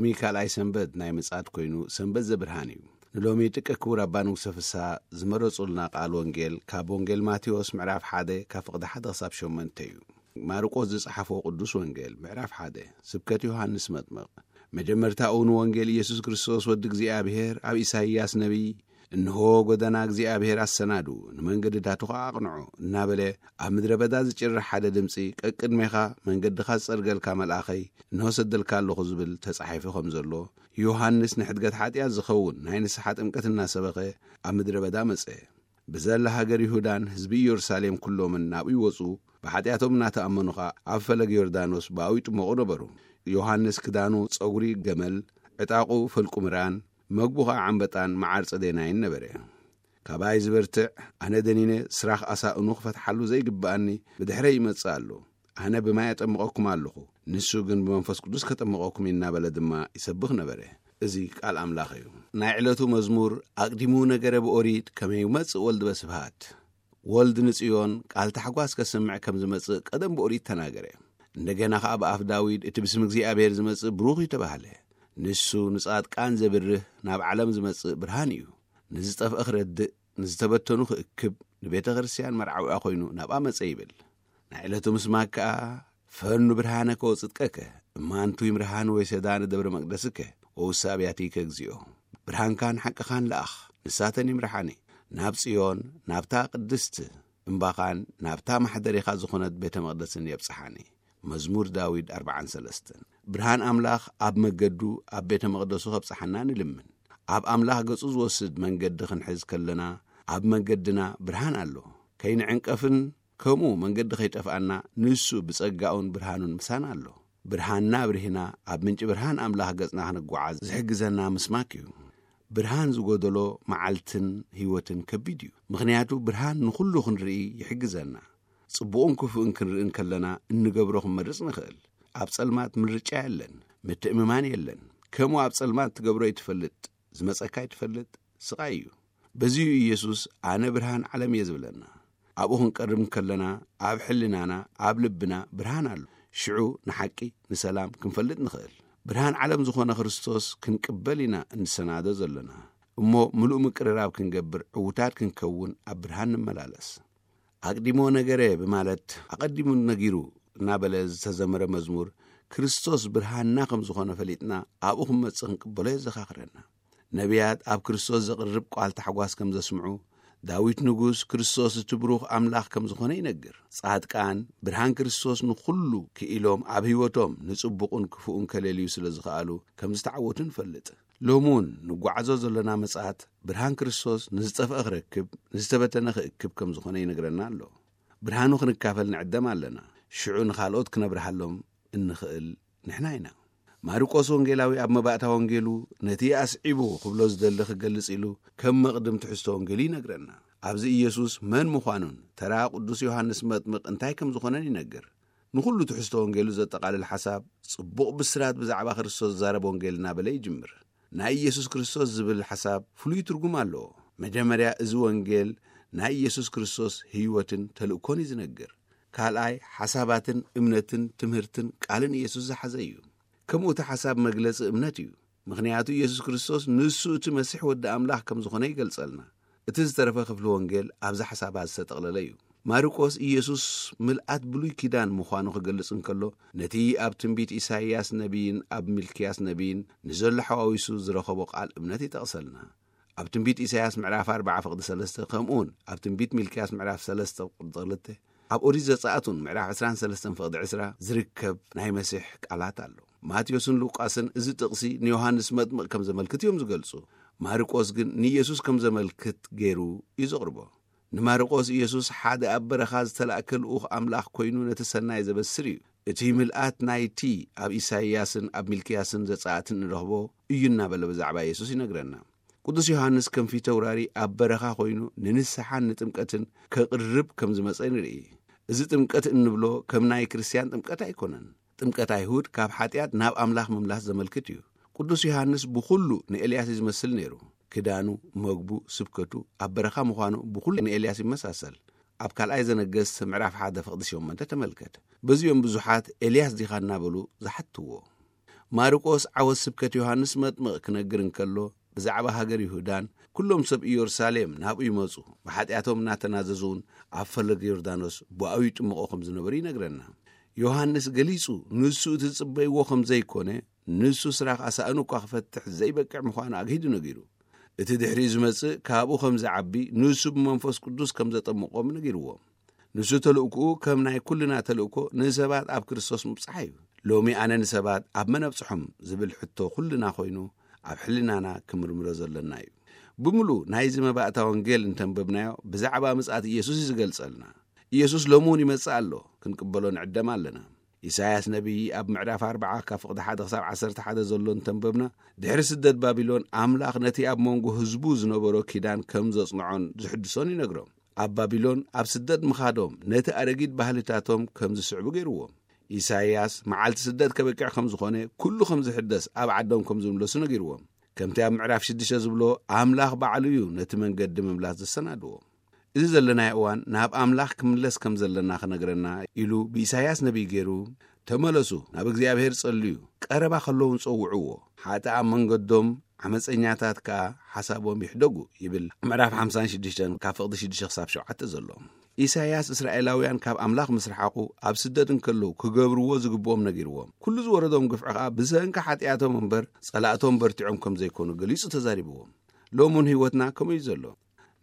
ሎሚ ካልኣይ ሰንበት ናይ ምጽኣት ኮይኑ፣ ሰንበት ዘብርሃን እዩ። ንሎሚ ጥቀ ክቡር ኣባ ንጉሰ ፍስሃ ዝመረጹልና ቃል ወንጌል ካብ ወንጌል ማቴዎስ ምዕራፍ ሓደ ካብ ፍቕዲ ሓደ ክሳብ ሸሞንተ እዩ። ማርቆስ ዝጸሓፎ ቅዱስ ወንጌል ምዕራፍ ሓደ። ስብከት ዮሃንስ መጥምቕ። መጀመርታኡ ንወንጌል ኢየሱስ ክርስቶስ ወዲ እግዚኣብሔር ኣብ ኢሳይያስ ነቢይ፣ "እንሆ ጎደና እግዚኣብሔር ኣሰናዱ፣ ንመንገድታቱ ኸኣ ኣቕንዑ" እናበለ ኣብ ምድረ በዳ ዝጭርሕ ሓደ ድምጺ፣ "ቀቅድሜኻ መንገድኻ ዝጸርገልካ መልኣኸይ እንሆ ሰደልካ ኣለኹ" ዝብል ተጻሒፉ ከም ዘሎ፣ ዮሃንስ ንሕድገት ሓጢኣት ዝኸውን ናይ ንስሓ ጥምቀት እናሰበኸ ኣብ ምድረ በዳ መጸ። ብዘላ ሃገር ይሁዳን ህዝቢ ኢየሩሳሌም ኩሎምን ናብኡ ይወጹ፣ ብሓጢኣቶም እናተኣመኑ ኸኣ ኣብ ፈለግ ዮርዳኖስ ብኣኡ ይጥመቑ ነበሩ። ዮሃንስ ክዳኑ ጸጉሪ ገመል፣ ዕጣቑ ፈልቁ ምራን፣ መግቡ ኸኣ ዓምበጣን መዓር ጸደናይን ነበረ። "ካባይ ዝበርትዕ፣ ኣነ ደኒነ ስራኽ ኣሳእኑ ክፈትሓሉ ዘይግብኣኒ ብድሕረይ ይመጽእ ኣሎ። ኣነ ብማይ ኣጠምቐኩም ኣለኹ፣ ንሱ ግን ብመንፈስ ቅዱስ ከጠምቐኩም" እናበለ ድማ ይሰብኽ ነበረ። እዚ ቃል ኣምላኽ እዩ። ናይ ዕለቱ መዝሙር ኣቕዲሙ ነገረ ብኦሪት ከመ ይመጽእ ወልድ በስብሃት። ወልድ ንጽዮን ቃል ታሕጓስ ከስምዕ ከም ዝመጽእ ቀደም ብኦሪት ተናገረ። እንደገና ኸኣ ብኣፍ ዳዊት፣ "እቲ ብስም እግዚኣብሔር ዝመጽእ ብሩኽ እዩ" ተባህለ። ንሱ ንጻድቃን ዘብርህ፣ ናብ ዓለም ዝመጽእ ብርሃን እዩ። ንዝጠፍአ ክረድእ፣ ንዝተበተኑ ክእክብ፣ ንቤተ ክርስቲያን መርዓዊኣ ኮይኑ ናብኣ መጸ ይብል። ናይ ዕለቱ ምስማክ ከኣ፣ "ፈኑ ብርሃነከ ወጽድቀከ፣ እማንቱ ይምርሃን ወይሰዳ ንደብረ መቅደስከ፣ ወውሳ ኣብያቲከ እግዚኦ። ብርሃንካን ሓቅኻን ለኣኽ፣ ንሳተን ይምርሓኒ። ናብ ጽዮን፣ ናብታ ቅድስት እምባኻን ናብታ ማሕደሪኻ ዝኾነት ቤተ መቕደስን የብጽሓኒ።" መዝሙር ዳዊት ኣርብዓን ሰለስተን። ብርሃን ኣምላኽ ኣብ መገዱ ኣብ ቤተ መቕደሱ ከብጽሓና ንልምን። ኣብ ኣምላኽ ገጹ ዝወስድ መንገዲ ክንሕዝ ከለና፣ ኣብ መንገድና ብርሃን ኣሎ። ከይንዕንቀፍን ከምኡ መንገዲ ከይጠፍኣና፣ ንሱ ብጸጋኡን ብርሃኑን ምሳና ኣሎ። ብርሃንና ኣብሪህና፣ ኣብ ምንጪ ብርሃን ኣምላኽ ገጽና ክንጓዓዝ ዝሕግዘና ምስማክ እዩ። ብርሃን ዝጎደሎ መዓልትን ህይወትን ከቢድ እዩ። ምኽንያቱ ብርሃን ንኹሉ ክንርኢ ይሕግዘና። ጽቡቕን ክፉእን ክንርኢ እንከለና እንገብሮ ክንመርጽ ንኽእል። ኣብ ጸልማት ምርጫ የለን፣ ምትእምማን የለን። ከምኡ ኣብ ጸልማት ትገብሮ ይትፈልጥ፣ ዝመጸካ ይትፈልጥ፣ ስቓይ እዩ። በዚዩ ኢየሱስ፣ "ኣነ ብርሃን ዓለም እየ" ዝብለና። ኣብኡ ክንቀርብ እንከለና፣ ኣብ ሕልናና፣ ኣብ ልብና ብርሃን ኣሎ። ሽዑ ንሓቂ፣ ንሰላም ክንፈልጥ ንኽእል። ብርሃን ዓለም ዝኾነ ክርስቶስ ክንቅበል ኢና እንሰናዶ ዘለና። እሞ ምሉእ ምቅርራብ ክንገብር፣ ዕዉታት ክንከውን ኣብ ብርሃን ንመላለስ። "ኣቅዲሞ ነገረ" ብማለት "ኣቐዲሙ ነጊሩ" እናበለ ዝተዘመረ መዝሙር፣ ክርስቶስ ብርሃንና ከም ዝኾነ ፈሊጥና ኣብኡ ክንመጽእ ክንቅበሎ የዘኻኽረና። ነቢያት ኣብ ክርስቶስ ዘቕርብ ቃል ታሕጓስ ከም ዘስምዑ፣ ዳዊት ንጉስ ክርስቶስ እቲ ብሩኽ ኣምላኽ ከም ዝኾነ ይነግር። ጻድቃን ብርሃን ክርስቶስ ንኹሉ ክኢሎም ኣብ ህይወቶም ንጽቡቕን ክፉእን ከለልዩ ስለ ዝኸኣሉ ከም ዝተዓወቱ ንፈልጥ። ሎሚ እውን ንጓዓዞ ዘሎና ምጽኣት ብርሃን ክርስቶስ ንዝጠፍአ ክረክብ፣ ንዝተበተነ ክእክብ ከም ዝኾነ ይነግረና ኣሎ። ብርሃኑ ክንካፈል ንዕደም ኣለና። ሽዑ ንኻልኦት ክነብርሃሎም እንኽእል ንሕና ኢና። ማርቆስ ወንጌላዊ ኣብ መባእታ ወንጌሉ ነቲ ኣስዒቡ ክብሎ ዝደሊ ክገልጽ ኢሉ ከም መቕድም ትሕዝቶ ወንጌሉ ይነግረና። ኣብዚ ኢየሱስ መን ምዃኑን ተራ ቅዱስ ዮሃንስ መጥምቕ እንታይ ከም ዝኾነን ይነግር። ንኹሉ ትሕዝቶ ወንጌሉ ዘጠቓልል ሓሳብ ጽቡቕ ብስራት ብዛዕባ ክርስቶስ ዝዛረብ ወንጌል እናበለ ይጅምር። ናይ ኢየሱስ ክርስቶስ ዝብል ሓሳብ ፍሉይ ትርጉም ኣለዎ። መጀመርያ እዚ ወንጌል ናይ ኢየሱስ ክርስቶስ ህይወትን ተልእኮን እዩ ዝነግር። ካልኣይ ሓሳባትን እምነትን ትምህርትን ቃልን ኢየሱስ ዝሓዘ እዩ። ከምኡ እቲ ሓሳብ መግለጺ እምነት እዩ። ምኽንያቱ ኢየሱስ ክርስቶስ ንሱ እቲ መሲሕ ወዲ ኣምላኽ ከም ዝኾነ ይገልጸልና። እቲ ዝተረፈ ክፍሊ ወንጌል ኣብዚ ሓሳባት ዝተጠቕለለ እዩ። ማርቆስ ኢየሱስ ምልኣት ብሉይ ኪዳን ምዃኑ ክገልጽ እንከሎ፣ ነቲ ኣብ ትንቢት ኢሳይያስ ነቢይን ኣብ ሚልክያስ ነቢይን ንዘሎ ሓዋዊሱ ዝረኸቦ ቃል እምነት ይጠቕሰልና። ኣብ ትንቢት ኢሳይያስ ምዕራፍ ኣርባዓ ፍቕዲ ሰለስተ፣ ከምኡውን ኣብ ትንቢት ሚልክያስ ምዕራፍ ሰለስተ ፍቕዲ ክልተ፣ ኣብ ኦሪት ዘጸኣት እውን ምዕራፍ ዕስራን ሰለስተን ፍቕዲ ዕስራ ዝርከብ ናይ መሲሕ ቃላት ኣሎ። ማቴዎስን ሉቃስን እዚ ጥቕሲ ንዮሃንስ መጥምቕ ከም ዘመልክት እዮም ዝገልጹ። ማርቆስ ግን ንኢየሱስ ከም ዘመልክት ገይሩ እዩ ዘቕርቦ። ንማርቆስ ኢየሱስ ሓደ ኣብ በረኻ ዝተላእከ ልኡኽ ኣምላኽ ኮይኑ ነቲ ሰናይ ዘበስር እዩ። እቲ ምልኣት ናይቲ ኣብ ኢሳይያስን ኣብ ሚልክያስን ዘጸኣትን እንረኽቦ እዩ እናበለ ብዛዕባ ኢየሱስ ይነግረና። ቅዱስ ዮሃንስ ከም ፊተውራሪ ኣብ በረኻ ኮይኑ ንንስሓን ንጥምቀትን ከቕርብ ከም ዝመጸ ንርኢ። እዚ ጥምቀት እንብሎ ከም ናይ ክርስትያን ጥምቀት ኣይኮነን። ጥምቀት ኣይሁድ ካብ ሓጢኣት ናብ ኣምላኽ ምምላስ ዘመልክት እዩ። ቅዱስ ዮሃንስ ብኹሉ ንኤልያስ እዩ ዝመስል ነይሩ። ክዳኑ፣ መግቡ፣ ስብከቱ፣ ኣብ በረኻ ምዃኑ ብኹሉ ንኤልያስ ይመሳሰል። ኣብ ካልኣይ ዘነገስት ምዕራፍ ሓደ ፍቕዲ ሸሞንተ ተመልከት። በዚኦም ብዙሓት ኤልያስ ዲኻ እናበሉ ዝሓትዎ። ማርቆስ ዓወት ስብከት ዮሃንስ መጥምቕ ክነግር እንከሎ፣ ብዛዕባ ሃገር ይሁዳን ኩሎም ሰብ ኢየሩሳሌም ናብኡ ይመጹ፣ ብሓጢኣቶም እናተናዘዙ እውን ኣብ ፈለግ ዮርዳኖስ ብኣኡ ይጥምቖ ከም ዝነበሩ ይነግረና። ዮሃንስ ገሊጹ፣ ንሱ እቲ ዝጽበይዎ ከም ዘይኮነ፣ ንሱ ስራሕ ኣሳእኑ እኳ ክፈትሕ ዘይበቅዕ ምዃኑ ኣግሂዱ ነጊሩ። እቲ ድሕሪኡ ዝመጽእ ካብኡ ከም ዝዓቢ፣ ንሱ ብመንፈስ ቅዱስ ከም ዘጠምቖም ነጊርዎም። ንሱ ተልእኮኡ ከም ናይ ኩልና ተልእኮ ንሰባት ኣብ ክርስቶስ ምብጻሕ እዩ። ሎሚ ኣነ ንሰባት ኣብ መን ኣብጽሖም ዝብል ሕቶ ኩልና ኮይኑ ኣብ ሕልናና ክምርምሮ ዘለና እዩ። ብምሉእ ናይዚ መባእታ ወንጌል እንተንበብናዮ ብዛዕባ ምጽኣት ኢየሱስ እዩ ዝገልጸልና። ኢየሱስ ሎሚ እውን ይመጽእ ኣሎ፣ ክንቅበሎ ንዕደም ኣለና። ኢሳያስ ነቢይ ኣብ ምዕራፍ ኣርብዓ ካብ ፍቕዲ ሓደ ክሳብ ዓሰርተ ሓደ ዘሎ እንተንበብና፣ ድሕሪ ስደት ባቢሎን ኣምላኽ ነቲ ኣብ መንጎ ህዝቡ ዝነበሮ ኪዳን ከም ዘጽንዖን ዝሕድሶን ይነግሮም። ኣብ ባቢሎን ኣብ ስደት ምኻዶም ነቲ ኣረጊት ባህልታቶም ከም ዝስዕቡ ገይርዎም። ኢሳይያስ መዓልቲ ስደት ከበቅዕ ከም ዝኾነ ኩሉ ከም ዝሕደስ ኣብ ዓዶም ከም ዝምለሱ ነጊርዎም። ከምቲ ኣብ ምዕራፍ ሽዱሽተ ዝብሎ ኣምላኽ ባዕሉ እዩ ነቲ መንገዲ ምምላስ ዘሰናድዎ። እዚ ዘለናዮ እዋን ናብ ኣምላኽ ክምለስ ከም ዘለና ክነግረና ኢሉ ብኢሳይያስ ነቢይ ገይሩ፣ "ተመለሱ፣ ናብ እግዚኣብሔር ጸልዩ፣ ቀረባ ከለውን ጸውዕዎ፣ ሓጥኣ መንገዶም፣ ዓመፀኛታት ከኣ ሓሳቦም ይሕደጉ" ይብል ምዕራፍ ሓምሳን ሽዱሽተን ካብ ፍቕዲ ሽዱሽተ ክሳብ ሸውዓተ ዘሎ። ኢሳይያስ እስራኤላውያን ካብ ኣምላኽ ምስ ረሓቑ ኣብ ስደት እንከለዉ ክገብርዎ ዝግብኦም ነጊርዎም። ኩሉ ዝወረዶም ግፍዒ ከኣ ብሰንኪ ሓጢኣቶም እምበር ጸላእቶም በርቲዖም ከም ዘይኮኑ ገሊጹ ተዛሪብዎም። ሎሚ እውን ህይወትና ከምኡ እዩ ዘሎ።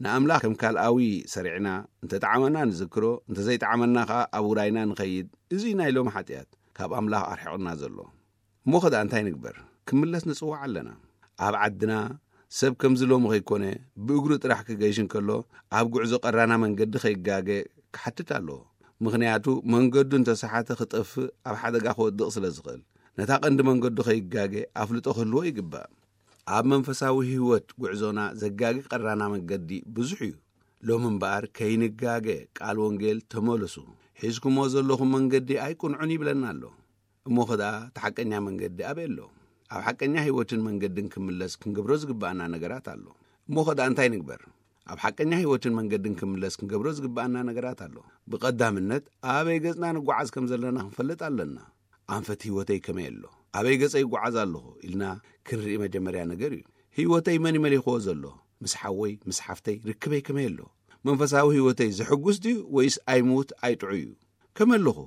ንኣምላኽ ከም ካልኣዊ ሰሪዕና እንተጠዓመና ንዝክሮ፣ እንተዘይጠዓመና ከኣ ኣብ ውራይና ንኸይድ። እዚ ናይ ሎሚ ሓጢኣት ካብ ኣምላኽ ኣርሒቑና ዘሎ። እሞ ኸ ደኣ እንታይ ንግበር? ክምለስ ንጽዋዕ ኣለና። ኣብ ዓድና ሰብ ከምዚ ሎሚ ከይኮነ ብእግሩ ጥራሕ ክገይሽ እንከሎ ኣብ ጉዕዞ ቀራና መንገዲ ከይጋገ ክሓትት ኣለዎ። ምኽንያቱ መንገዱ እንተሰሓተ ክጠፍእ ኣብ ሓደጋ ክወድቕ ስለ ዝኽእል ነታ ቀንዲ መንገዱ ከይጋገ ኣፍልጦ ክህልዎ ይግባእ። ኣብ መንፈሳዊ ህይወት ጉዕዞና ዘጋጊ ቀራና መንገዲ ብዙሕ እዩ። ሎሚ እምበኣር ከይንጋገ ቃል ወንጌል ተመለሱ፣ ሒዝኩሞ ዘለኹም መንገዲ ኣይቅንዑን ይብለና ኣሎ። እሞ ኸ ደኣ እቲ ሓቀኛ መንገዲ ኣበይ ኣሎ? ኣብ ሓቀኛ ህይወትን መንገድን ክምለስ ክንገብሮ ዝግብኣና ነገራት ኣሎ። እሞ ኸ ደኣ እንታይ ንግበር? ኣብ ሓቀኛ ህይወትን መንገድን ክምለስ ክንገብሮ ዝግብኣና ነገራት ኣሎ። ብቐዳምነት ኣበይ ገጽና ንጓዓዝ ከም ዘለና ክንፈልጥ ኣለና። ኣንፈት ህይወተይ ከመይ ኣሎ? ኣበይ ገጸይ ይጓዓዝ ኣለኹ? ኢልና ክንርኢ መጀመርያ ነገር እዩ። ህይወተይ መን ይመሊኽዎ ዘሎ? ምስ ሓወይ፣ ምስ ሓፍተይ ርክበይ ከመይ ኣሎ? መንፈሳዊ ህይወተይ ዘሕጉስ ድዩ ወይስ ኣይሙት ኣይጥዑይ እዩ? ከመይ ኣለኹ?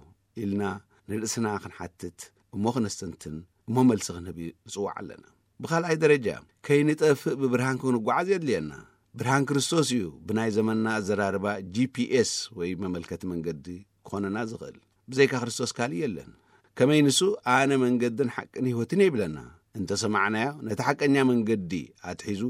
ኢልና ንርእስና ክንሓትት እሞ ክነስተንትን እሞ መልሲ ክንህብ ንጽዋዕ ኣለና። ብኻልኣይ ደረጃ ከይንጠፍእ ብብርሃን ክንጓዓዝ የድልየና። ብርሃን ክርስቶስ እዩ ብናይ ዘመንና ኣዘራርባ ጂ ፒ ኤስ ወይ መመልከቲ መንገዲ ክኾነና ዝኽእል። ብዘይካ ክርስቶስ ካልእ የለን። ከመይ ንሱ ኣነ መንገድን ሓቅን ህይወትን እየ ይብለና። እንተሰማዕናዮ ነቲ ሓቀኛ መንገዲ ኣትሒዙ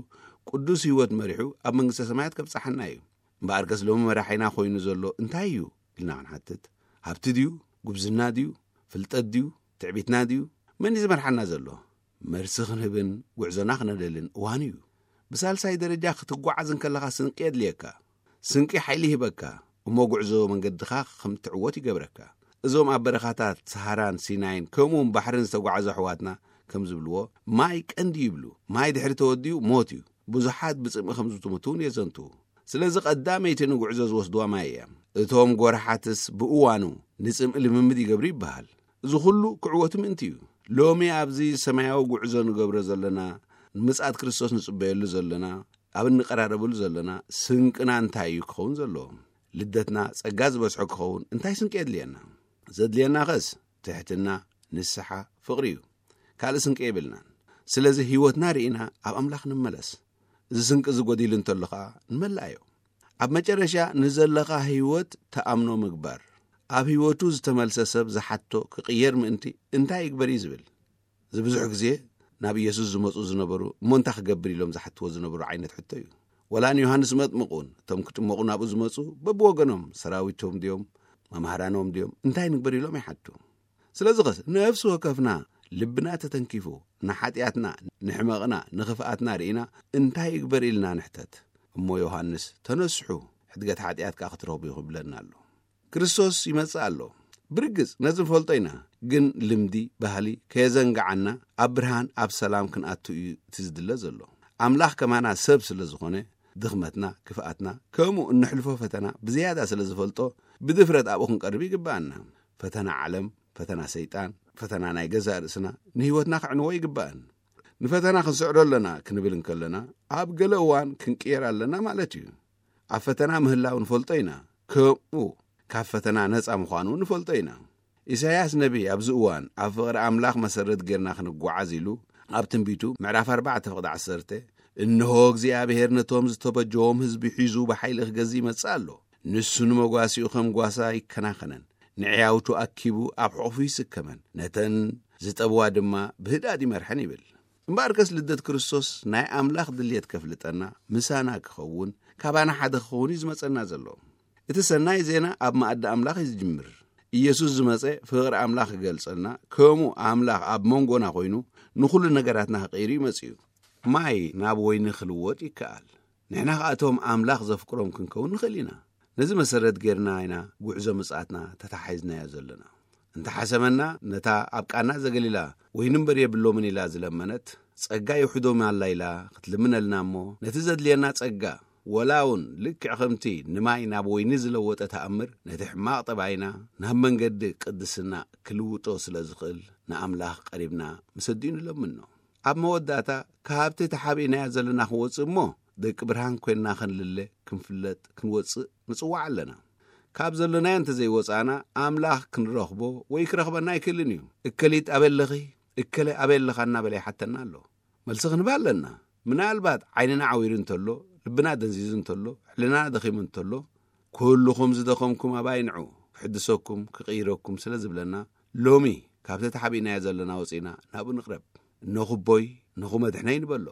ቅዱስ ህይወት መሪሑ ኣብ መንግስተ ሰማያት ከብጽሓና እዩ። እምበኣርከስ ሎሚ መራሒና ኮይኑ ዘሎ እንታይ እዩ ኢልና ክንሓትት፣ ሃብቲ ድዩ? ጉብዝና ድዩ? ፍልጠት ድዩ? ትዕቢትና ድዩ? መን እዩ ዝመርሓና ዘሎ? መልሲ ክንህብን ጉዕዞና ክነደልን እዋን እዩ። ብሳልሳይ ደረጃ ክትጓዓዝ እንከለኻ ስንቂ የድልየካ። ስንቂ ሓይሊ ይህበካ፣ እሞ ጉዕዞ መንገድኻ ከም ትዕወት ይገብረካ። እዞም ኣብ በረኻታት ሰሃራን ሲናይን ከምኡውን ባሕርን ዝተጓዓዙ ኣሕዋትና ከም ዝብልዎ፣ "ማይ ቀንዲ" ይብሉ። ማይ ድሕሪ ተወዲኡ ሞት እዩ። ብዙሓት ብጽምኢ ከም ዝትሙቱ እውን የዘንትዉ። ስለዚ ቀዳመይቲ ንጉዕዞ ዝወስድዋ ማይ እያ። እቶም ጎረሓትስ ብእዋኑ ንጽምኢ ልምምድ ይገብሩ ይበሃል። እዚ ኩሉ ክዕወቱ ምእንቲ እዩ። ሎሚ ኣብዚ ሰማያዊ ጉዕዞ ንገብሮ ዘለና፣ ንምጽኣት ክርስቶስ ንጽበየሉ ዘለና፣ ኣብ እንቀራረበሉ ዘለና ስንቅና እንታይ እዩ ክኸውን ዘለዎ? ልደትና ጸጋ ዝበዝሖ ክኸውን እንታይ ስንቂ የድልየና? ዘድልየና ኸስ ትሕትና፣ ንስሓ፣ ፍቕሪ እዩ። ካልእ ስንቂ የብልናን። ስለዚ ህይወትና ርኢና ኣብ ኣምላኽ ንመለስ። እዚ ስንቂ እዚ ጎዲሉ እንተሎ ኸኣ ንመልኣዮ። ኣብ መጨረሻ ንዘለኻ ህይወት ተኣምኖ ምግባር። ኣብ ህይወቱ ዝተመልሰ ሰብ ዝሓቶ ክቕየር ምእንቲ እንታይ ይግበር እዩ ዝብል። እዚ ብዙሕ ግዜ ናብ ኢየሱስ ዝመጹ ዝነበሩ እሞ እንታይ ክገብር ኢሎም ዝሓትዎ ዝነበሩ ዓይነት ሕቶ እዩ። ወላ ንዮሃንስ መጥምቕ እውን እቶም ክጥመቑ ናብኡ ዝመጹ በብወገኖም ሰራዊቶም ድዮም መምሃራኖም ድዮም እንታይ ንግበር ኢሎም ይሓቱ። ስለዚ ኸስ ነፍሲ ወከፍና ልብና ተተንኪፉ ንሓጢኣትና፣ ንሕመቕና፣ ንኽፍኣትና ርኢና እንታይ ይግበር ኢልና ንሕተት። እሞ ዮሃንስ "ተነስሑ፣ ሕድገት ሓጢኣት ከኣ ክትረኽቡ ኢኹም" ይብለና ኣሎ። ክርስቶስ ይመጽእ ኣሎ። ብርግጽ ነዚ ንፈልጦ ኢና፣ ግን ልምዲ፣ ባህሊ ከየዘንግዓና ኣብ ብርሃን ኣብ ሰላም ክንኣቱ እዩ እቲ ዝድለ ዘሎ። ኣምላኽ ከማና ሰብ ስለ ዝኾነ ድኽመትና፣ ክፍኣትና፣ ከምኡ እንሕልፎ ፈተና ብዝያዳ ስለ ዝፈልጦ ብድፍረት ኣብኡ ክንቀርብ ይግብኣና። ፈተና ዓለም፣ ፈተና ሰይጣን፣ ፈተና ናይ ገዛእ ርእስና ንህይወትና ክዕንዎ ይግባእን። ንፈተና ክንስዕሮ ኣለና ክንብል እንከለና፣ ኣብ ገለ እዋን ክንቅየር ኣለና ማለት እዩ። ኣብ ፈተና ምህላው ንፈልጦ ኢና። ከምኡ ካብ ፈተና ነጻ ምዃኑ ንፈልጦ ኢና። ኢሳይያስ ነቢ ኣብዚ እዋን ኣብ ፍቕሪ ኣምላኽ መሰረት ጌርና ክንጓዓዝ ኢሉ ኣብ ትንቢቱ ምዕራፍ ኣርባዕተ ፍቕዲ ዓሰርተ፣ "እንሆ እግዚኣብሔር ነቶም ዝተበጀዎም ህዝቢ ሒዙ ብሓይሊ ክገዝእ ይመጽእ ኣሎ። ንሱ ንመጓሲኡ ከም ጓሳ ይከናኸነን፣ ንዕያውቱ ኣኪቡ ኣብ ሕቑፉ ይስከመን፣ ነተን ዝጠብዋ ድማ ብህድኣት ይመርሐን" ይብል። እምበኣርከስ ልደት ክርስቶስ ናይ ኣምላኽ ድልየት ከፍልጠና፣ ምሳና ክኸውን፣ ካባና ሓደ ክኸውን እዩ ዝመጸና ዘሎ። እቲ ሰናይ ዜና ኣብ መኣዲ ኣምላኽ እዩ ዝጅምር። ኢየሱስ ዝመጸ ፍቕሪ ኣምላኽ ክገልጸልና፣ ከምኡ ኣምላኽ ኣብ መንጎና ኮይኑ ንኹሉ ነገራትና ክቕይር እዩ መጺኡ። ማይ ናብ ወይኒ ክልወጥ ይከኣል። ንሕና ከኣቶም ኣምላኽ ዘፍቅሮም ክንከውን ንኽእል ኢና። ነዚ መሰረት ጌርና ኢና ጉዕዞ ምጽኣትና ተታሓሒዝናዮ ዘለና። እንተሓሰመና፣ ነታ ኣብ ቃና ዘገሊላ ወይኒ እምበር የብሎምን ኢላ ዝለመነት፣ ጸጋ ይውሕዶም ኣላ ኢላ ክትልምነልና እሞ፣ ነቲ ዘድልየና ጸጋ፣ ወላ እውን ልክዕ ከምቲ ንማይ ናብ ወይኒ ዝለወጠ ተኣምር፣ ነቲ ሕማቕ ጠባይና ናብ መንገዲ ቅድስና ክልውጦ ስለ ዝኽእል፣ ንኣምላኽ ቀሪብና ምስ ኣዲኡ ንለምኖ። ኣብ መወዳእታ፣ ካብቲ ተሓቢእናዮ ዘለና ክንወጽእ እሞ፣ ደቂ ብርሃን ኮይንና ክንልለ፣ ክንፍለጥ፣ ክንወጽእ ንጽዋዕ ኣለና። ካብ ዘሎናዮ እንተዘይወጻእና፣ ኣምላኽ ክንረኽቦ ወይ ክረኽበና ኣይክእልን እዩ። "እከሊት ኣበይ ኣለኺ? እከለ ኣበይ ኣለኻ?" እናበለ ይሓተና ኣሎ። መልሲ ክንህብ ኣለና። ምናልባት ዓይንና ዓዊሩ እንተሎ፣ ልብና ደንዚዙ እንተሎ፣ ሕልናና ደኺሙ እንተሎ፣ "ኩልኹም ዝደኸምኩም ኣባይ ንዑ፣ ክሕድሰኩም፣ ክቕይረኩም" ስለ ዝብለና፣ ሎሚ ካብቲ ተሓቢእናዮ ዘለና ወጺና ናብኡ ንቕረብ። "እነኹ ኣቦይ፣ እነኹ መድሕነይ" ንበሎ።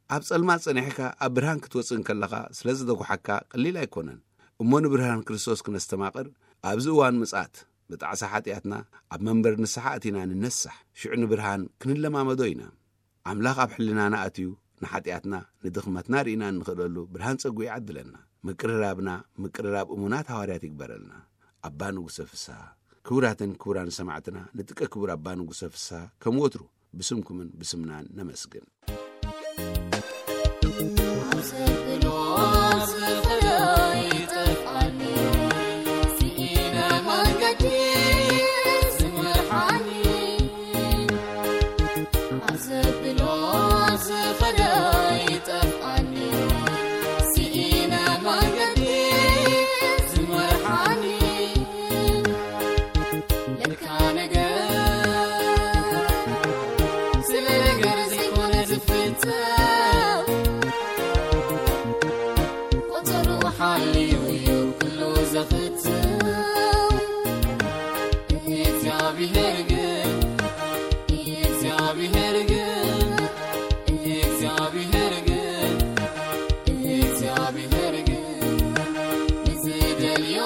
ኣብ ጸልማት ጸኒሕካ ኣብ ብርሃን ክትወጽእ እንከለኻ ስለ ዝደጉሓካ ቀሊል ኣይኮነን። እሞ ንብርሃን ክርስቶስ ክነስተማቕር ኣብዚ እዋን ምጽኣት ብጣዕሳ ሓጢኣትና ኣብ መንበር ንስሓ ኣቲና ንነሳሕ። ሽዑ ንብርሃን ክንለማመዶ ኢና። ኣምላኽ ኣብ ሕልናና ኣትዩ ንሓጢኣትና ንድኽመትና ርኢና እንኽእለሉ ብርሃን ጸጉ ይዓድለና። ምቅርራብና ምቅርራብ እሙናት ሃዋርያት ይግበረልና። ኣባ ንጉሰ ፍስሃ። ክቡራትን ክቡራን ሰማዕትና፣ ንጥቀ ክቡር ኣባ ንጉሰ ፍስሃ ከም ወትሩ ብስምኩምን ብስምናን ነመስግን። ኣብ ዘብሎ ዝኸዶ ይጠፍኣኒ፣ ስኢነ መንገዲ ዝመርሓኒ። ኣብ ዘብሎ ዝኸዶ ይጠፍኣኒ፣ ስኢነ መንገዲ ዝመርሓኒ። ለካ ነገር ስለ ነገር ዘይኮነ ዝፍተው፣ ቁጽሩ ሓልዩ እዩ ኩሉ ዘፍተው። እግዚኣብሔር ግን፣ እግዚኣብሔር ግን፣ እግዚኣብሔር ግን፣ እግዚኣብሔር ግን፣ ብዝደልዮ፣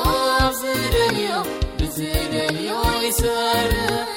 ብዝደልዮ፣ ብዝደልዮ ይሰርሕ።